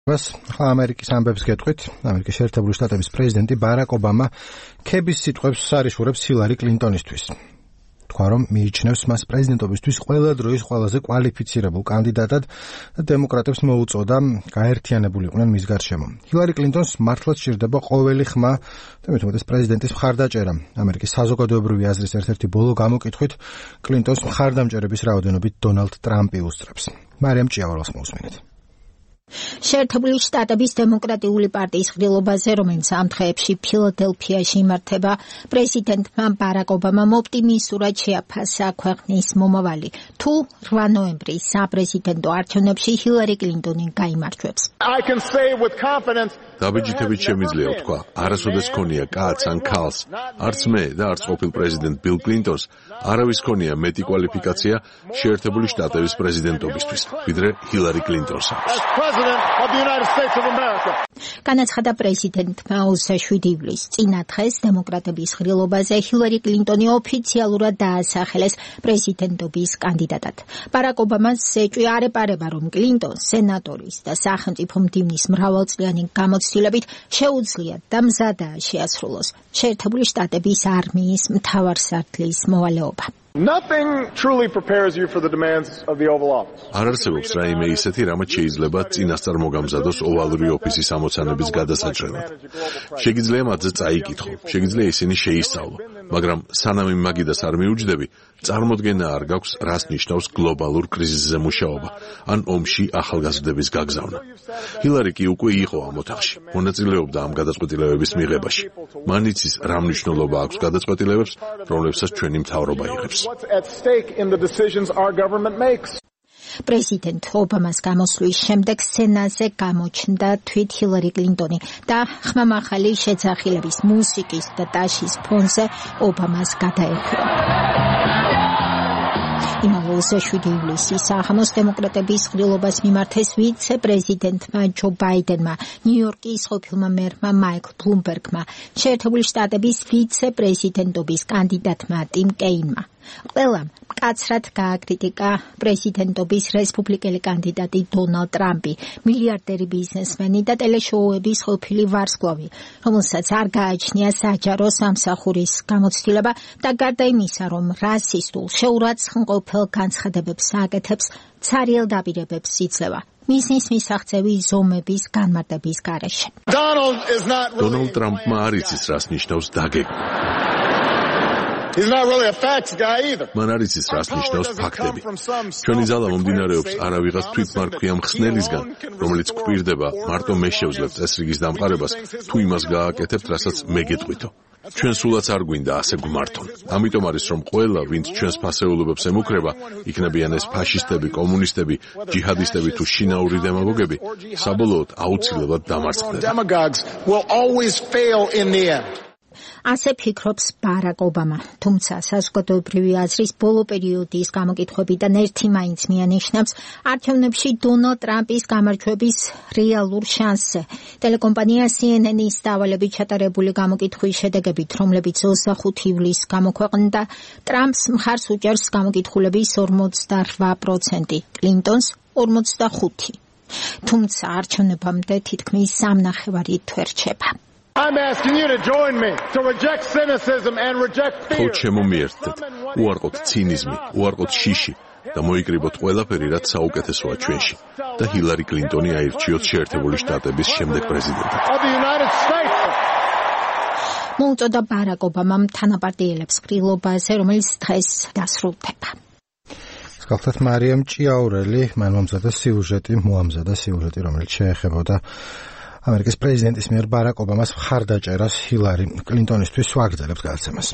ახლა ამერიკის ამბებს გეტყვით. ამერიკის შეერთებული შტატების პრეზიდენტი ბარაკ ობამა ქების სიტყვებს სარიშურებს ჰილარი კლინტონისთვის. თქვა, რომ მიიჩნევს მას პრეზიდენტობისთვის ყველა დროის ყველაზე კვალიფიცირებულ კანდიდატად და დემოკრატებს მოუწოდა გაერთიანებულიყვნენ მის გარშემო. ჰილარი კლინტონს მართლაც სჭირდება ყოველი ხმა და მით უმეტეს პრეზიდენტის მხარდაჭერა. ამერიკის საზოგადოებრივი აზრის ერთ-ერთი ბოლო გამოკითხვით კლინტონს მხარდამჭერების რაოდენობით დონალდ ტრამპი უსწრებს. მარიამ ჭიაურელს მოусმინეთ. შეერთებული შტატების დემოკრატიული პარტიის ღრილობაზე, რომელიც ამ დღეებში ფილადელფიაში იმართება, პრეზიდენტმა ბარაკ ობამამ ოპტიმისტურად შეაფასა ქვეყნის მომავალი. თუ 8 ნოემბრის საპრეზიდენტო არჩევნებში ჰილარი კლინტონი გაიმარჯვებს. დაბეჭდებით შემიძლია ვთქვა, არასოდეს ქონია კაცს ან ქალს, არც მე და არც ყოფილ პრეზიდენტ ბილ კლინტონს არავის ქონია მეტი კვალიფიკაცია შეერთებული შტატების პრეზიდენტობისთვის, ვიდრე ჰილარი კლინტონს აქვს. განაცხადა პრეზიდენტმა 27 ივლისს წინა დღეს დემოკრატების ღრილობაზე ჰილარი კლინტონი ოფიციალურად დაასახელეს პრეზიდენტობის კანდიდატად. ბარაკ ობამას ეჭვი არ ეპარება, რომ კლინტონს სენატორის და სახელმწიფო მდივნის მრავალწლიანი გამოცდილებით შეუძლია და მზადაა შეასრულოს შეერთებული შტატების არმიის მთავარსარდლის მოვალეობა. Nothing truly prepares you for the demands of the Oval Office. არ არსებობს რაიმე ისეთი, რამაც შეიძლება წინასწარ მოგამზადოს ოვალური ოფისის ამოცანების გადასაჭრელად. შეგიძლია მათზე წაიკითხო, შეგიძლია ისინი შეისწავლო, მაგრამ სანამ იმ მაგიდას არ მიუჯდები, წარმოდგენა არ გაქვს, რას ნიშნავს გლობალურ კრიზისზე მუშაობა, ან ომში ახალგაზრდების გაგზავნა. ჰილარი კი უკვე იყო ამ ოთახში, მონაწილეობდა ამ გადაწყვეტილებების მიღებაში. მან იცის, რა მნიშვნელობა აქვს გადაწყვეტილებებს, რომლებსაც ჩვენი მთავრობა იღებს. What's at stake in the decisions our government makes? პრეზიდენტ ობამას გამოსვლის შემდეგ სენატზე გამოჩნდა თვით ჰილარი კლინტონი და ხმამაღალი შეძახილების მუსიკის და ტაშის ფონზე ობამას გადაეხვდა. იმავე 27 ივლისის საღამოს დემოკრატების ღრილობას მიმართეს ვიცე-პრეზიდენტმა ჯო ბაიდენმა, ნიუ-იორკის ყოფილმა მერმა მაიკლ ბლუმბერგმა, შეერთებული შტატების ვიცე-პრეზიდენტობის კანდიდატმა ტიმ კეინმა. ყველამ მკაცრად გააკრიტიკა პრეზიდენტობის რესპუბლიკელი კანდიდატი დონალდ ტრამპი, მილიარდერი ბიზნესმენი და ტელეშოუების ყოფილი ვარსკვლავი, რომელსაც არ გააჩნია საჯარო სამსახურის გამოცდილება და გარდა იმისა, რომ რასისტულ, შეურაცხმყოფელ განცხადებებს აკეთებს, ცარიელ დაპირებებს იძლევა. მიზნის მისაღწევი ზომების განმარტების გარეშე. დონალდ ტრამპმა არ იცის, რას ნიშნავს დაგეგმა. He's not really a facts guy either. მან არ იცის, რას ნიშნავს ფაქტები. ჩვენი ძალა მომდინარეობს არავიღას თვითმარქვია მხსნელისგან, რომელიც გვპირდება მარტო მე შევძლებთ წესრიგის დამყარებას, თუ იმას გააკეთებთ, რასაც მე გეტყვითო. ჩვენ სულაც არ გვინდა ასე გვმართონ. ამიტომ არის, რომ ყველა, ვინც ჩვენს ფასეულობებს ემუქრება, იქნებიან ეს ფაშისტები, კომუნისტები, ჯიჰადისტები თუ შინაური დემაგოგები, საბოლოოდ აუცილებლად დამარცხდება. Demagogues will always fail in the end. ასე ფიქრობს ბარაკ ობამა, თუმცა საზოგადოებრივი აზრის ბოლო პერიოდის გამოკითხვებიდან ერთი მაინც მიანიშნავს არჩევნებში დონალდ ტრამპის გამარჯვების რეალურ შანსზე. ტელეკომპანია CNN-ის დავალებით ჩატარებული გამოკითხვის შედეგებით, რომლებიც 25 ივლისს გამოქვეყნდა, ტრამპს მხარს უჭერს გამოკითხულების 48%, კლინტონს 45%. თუმცა არჩევნებამდე თითქმის 3.5 თვე რჩება. I'm asking you to join me to reject cynicism and reject fear. ხო შემომიერთდეთ, უარყოთ ცინიზმი, უარყოთ შიში და მოიკრიბოთ ყველაფერი, რაც საუკეთესოა ჩვენში და ჰილარი კლინტონი აირჩიოთ შეერთებული შტატების შემდეგ პრეზიდენტად. მოუწოდა ბარაკ ობამამ თანაპარტიელებს ღრილობაზე, რომელიც დღეს დასრულდება. გახლდათ მარიამ ჭიაურელი, მან მომზადა სიუჟეტი, რომელიც შეეხებოდა ამერიკის პრეზიდენტის მიერ ბარაკ ობამას მხარდაჭერას ჰილარი კლინტონისთვის ვაგრძელებთ გადაცემას.